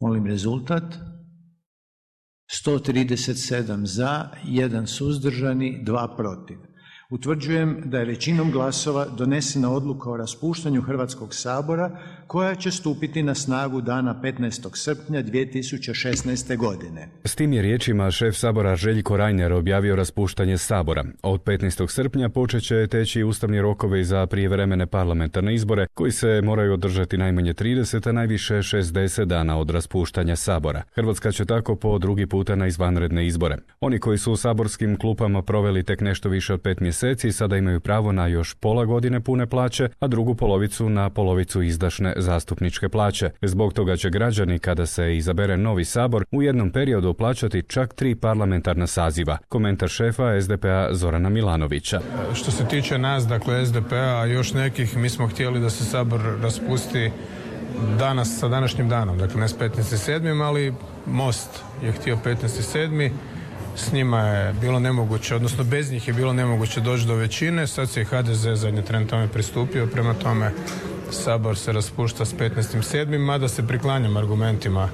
Molim rezultat. 137 za, 1 suzdržani, 2 protiv. Utvrđujem da je većinom glasova donesena odluka o raspuštanju Hrvatskog sabora koja će stupiti na snagu dana 15. srpnja 2016. godine. S tim je riječima šef sabora Željko Reiner objavio raspuštanje sabora. Od 15. srpnja počet će teći ustavni rokovi za prijevremene parlamentarne izbore koji se moraju održati najmanje 30, a najviše 60 dana od raspuštanja sabora. Hrvatska će tako po drugi puta na izvanredne izbore. Oni koji su u saborskim klupama proveli tek nešto više od 5 mjeseci sada imaju pravo na još pola godine pune plaće, a drugu polovicu na polovicu izdašne zastupničke plaće. Zbog toga će građani, kada se izabere novi sabor, u jednom periodu plaćati čak 3 parlamentarna saziva. Komentar šefa SDP-a Zorana Milanovića. Što se tiče nas, dakle SDP-a, još nekih, mi smo htjeli da se sabor raspusti danas sa današnjim danom, dakle ne s 15.7., ali Most je htio 15.7., s njima je bilo nemoguće, odnosno bez njih je bilo nemoguće doći do većine, sad se i HDZ zadnji tren tome pristupio, prema tome sabor se raspušta s 15.7., mada se priklanjam argumentima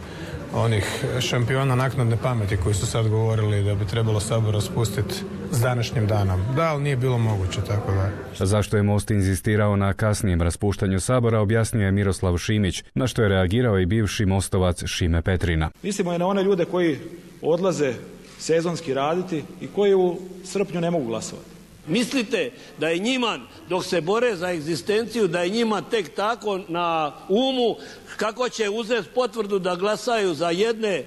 onih šampiona naknadne pameti koji su sad govorili da bi trebalo sabor raspustiti s današnjim danom. Da, ali nije bilo moguće, tako da. Zašto je Most inzistirao na kasnijem raspuštanju sabora, objasnio je Miroslav Šimić, na što je reagirao i bivši mostovac Šime Petrina. Mislimo i na one ljude koji odlaze sezonski raditi i koji u srpnju ne mogu glasovati. Mislite da je njima, dok se bore za egzistenciju, da je njima tek tako na umu kako će uzeti potvrdu da glasaju za jedne,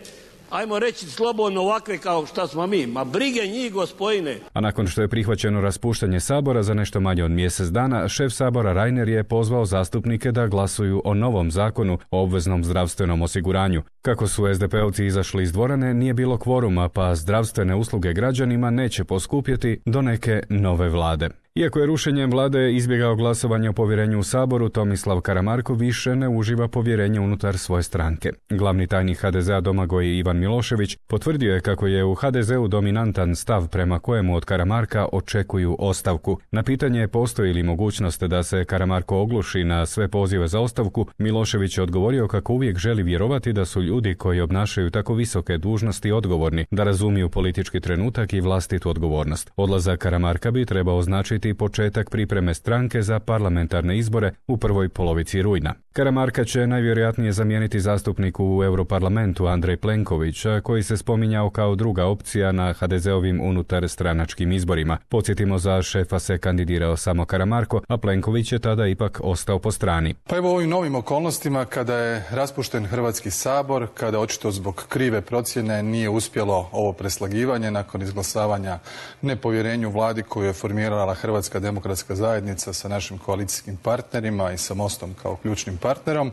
ajmo reći slobodno ovakve kao što smo mi. Ma brige njih, gospodine. A nakon što je prihvaćeno raspuštanje sabora za nešto manje od mjesec dana, šef sabora Reiner je pozvao zastupnike da glasuju o novom zakonu o obveznom zdravstvenom osiguranju. Kako su SDP-ovci izašli iz dvorane, nije bilo kvoruma, pa zdravstvene usluge građanima neće poskupjeti do neke nove vlade. Iako je rušenjem vlade izbjegao glasovanje o povjerenju u saboru, Tomislav Karamarko više ne uživa povjerenje unutar svoje stranke. Glavni tajnik HDZ-a Domagoj Ivan Milošević potvrdio je kako je u HDZ-u dominantan stav prema kojemu od Karamarka očekuju ostavku. Na pitanje postoji li mogućnost da se Karamarko ogluši na sve pozive za ostavku, Milošević je odgovorio kako uvijek želi vjerovati da su ljudi koji obnašaju tako visoke dužnosti odgovorni, da razumiju politički trenutak i vlastitu odgovornost. Odlazak Karamarka bi trebao označiti početak pripreme stranke za parlamentarne izbore u prvoj polovici rujna. Karamarka će najvjerojatnije zamijeniti zastupniku u Europarlamentu Andrej Plenković, koji se spominjao kao druga opcija na HDZ-ovim unutar stranačkim izborima. Podsjetimo, za šefa se kandidirao samo Karamarko, a Plenković je tada ipak ostao po strani. Pa evo u ovim novim okolnostima, kada je raspušten Hrvatski sabor, kada očito zbog krive procjene nije uspjelo ovo preslagivanje nakon izglasavanja nepovjerenju vladi koju je formirala Hrvatska demokratska zajednica sa našim koalicijskim partnerima i sa Mostom kao ključnim partnerom,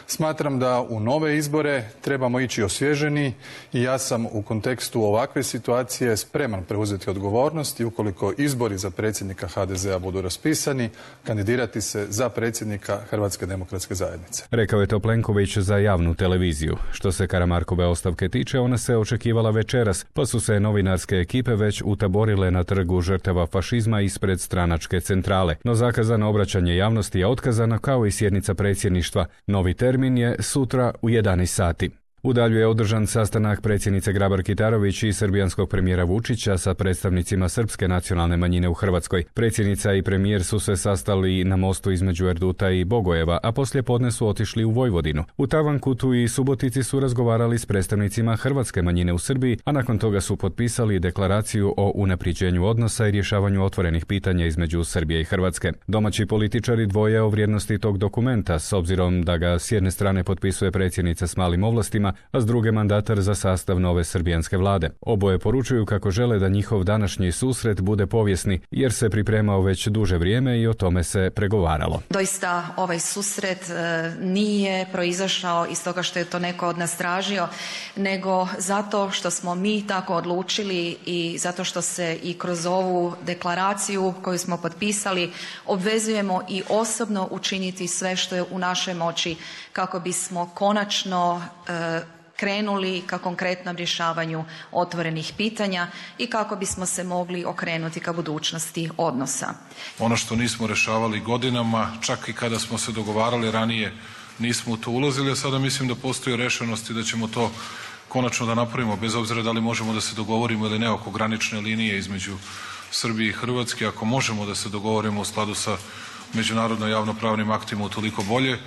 smatram da u nove izbore trebamo ići osvježeni i ja sam u kontekstu ovakve situacije spreman preuzeti odgovornost i ukoliko izbori za predsjednika HDZ-a budu raspisani, kandidirati se za predsjednika Hrvatske demokratske zajednice. Rekao je to Plenković za javnu televiziju. Što se Karamarkove ostavke tiče, ona se očekivala večeras, pa su se novinarske ekipe već utaborile na trgu žrtava fašizma ispred stranačke centrale. No zakazano obraćanje javnosti je otkazano, kao i sjednica predsjedništva. Novi termin je sutra u 11 sati. U Dalju je održan sastanak predsjednice Grabar-Kitarović i srbijanskog premijera Vučića sa predstavnicima srpske nacionalne manjine u Hrvatskoj. Predsjednica i premijer su se sastali na mostu između Erduta i Bogojeva, a poslije podne su otišli u Vojvodinu. U Tavankutu i Subotici su razgovarali s predstavnicima hrvatske manjine u Srbiji, a nakon toga su potpisali deklaraciju o unaprijeđenju odnosa i rješavanju otvorenih pitanja između Srbije i Hrvatske. Domaći političari dvoje o vrijednosti tog dokumenta, s obzirom da ga s jedne strane potpisuje predsjednica s malim ovlastima, a s druge mandatar za sastav nove srbijanske vlade. Oboje poručuju kako žele da njihov današnji susret bude povijesni, jer se pripremao već duže vrijeme i o tome se pregovaralo. Doista ovaj susret nije proizašao iz toga što je to neko od nas tražio, nego zato što smo mi tako odlučili i zato što se i kroz ovu deklaraciju koju smo potpisali obvezujemo i osobno učiniti sve što je u našoj moći kako bismo konačno krenuli ka konkretnom rješavanju otvorenih pitanja i kako bismo se mogli okrenuti ka budućnosti odnosa. Ono što nismo rješavali godinama, čak i kada smo se dogovarali ranije nismo u to ulazili, a sada mislim da postoji rešenost i da ćemo to konačno da napravimo, bez obzira da li možemo da se dogovorimo ili ne oko granične linije između Srbije i Hrvatske. Ako možemo da se dogovorimo u skladu sa međunarodno javnopravnim aktima, utoliko bolje.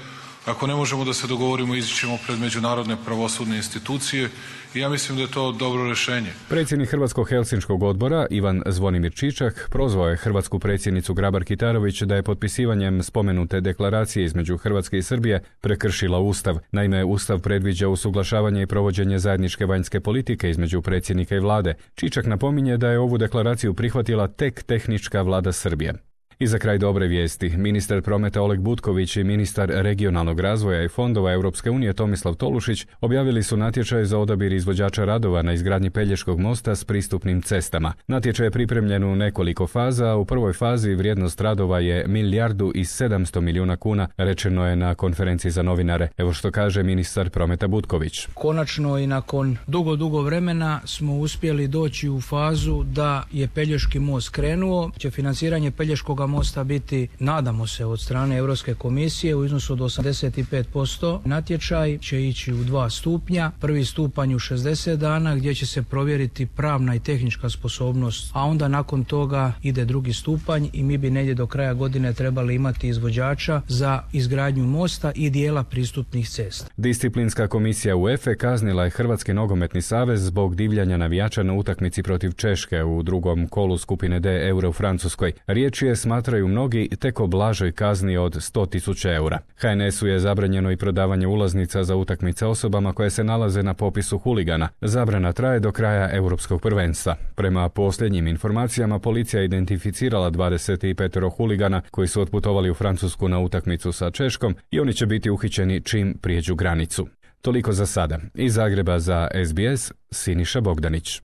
Ako ne možemo da se dogovorimo, ići ćemo pred međunarodne pravosudne institucije i ja mislim da je to dobro rešenje. Predsjednik Hrvatskog Helsinškog odbora Ivan Zvonimir Čičak prozvao je hrvatsku predsjednicu Grabar-Kitarović da je potpisivanjem spomenute deklaracije između Hrvatske i Srbije prekršila Ustav. Naime, Ustav predviđa usuglašavanje i provođenje zajedničke vanjske politike između predsjednika i vlade. Čičak napominje da je ovu deklaraciju prihvatila tek tehnička vlada Srbije. I za kraj dobre vijesti, ministar prometa Oleg Butković i ministar regionalnog razvoja i fondova Europske unije Tomislav Tolušić objavili su natječaj za odabir izvođača radova na izgradnji Pelješkog mosta s pristupnim cestama. Natječaj je pripremljen u nekoliko faza, a u prvoj fazi vrijednost radova je 1,7 milijardi kuna, rečeno je na konferenciji za novinare. Evo što kaže ministar prometa Butković. Konačno i nakon dugo vremena smo uspjeli doći u fazu da je Pelješki most krenuo, će financiranje Pelješkog mosta biti, nadamo se, od strane Europske komisije u iznosu od 85%. Natječaj će ići u 2 stupnja. Prvi stupanj u 60 dana gdje će se provjeriti pravna i tehnička sposobnost, a onda nakon toga ide drugi stupanj i mi bi negdje do kraja godine trebali imati izvođača za izgradnju mosta i dijela pristupnih cesta. Disciplinska komisija UEFA kaznila je Hrvatski nogometni savez zbog divljanja navijača na utakmici protiv Češke u drugom kolu skupine D Euro u Francuskoj. Riječ je, smatraju mnogi, tek o blažoj kazni od 100.000 eura. HNS-u je zabranjeno i prodavanje ulaznica za utakmice osobama koje se nalaze na popisu huligana. Zabrana traje do kraja europskog prvenstva. Prema posljednjim informacijama, policija je identificirala 25 huligana koji su otputovali u Francusku na utakmicu sa Češkom i oni će biti uhićeni čim prijeđu granicu. Toliko za sada. Iz Zagreba za SBS, Siniša Bogdanić.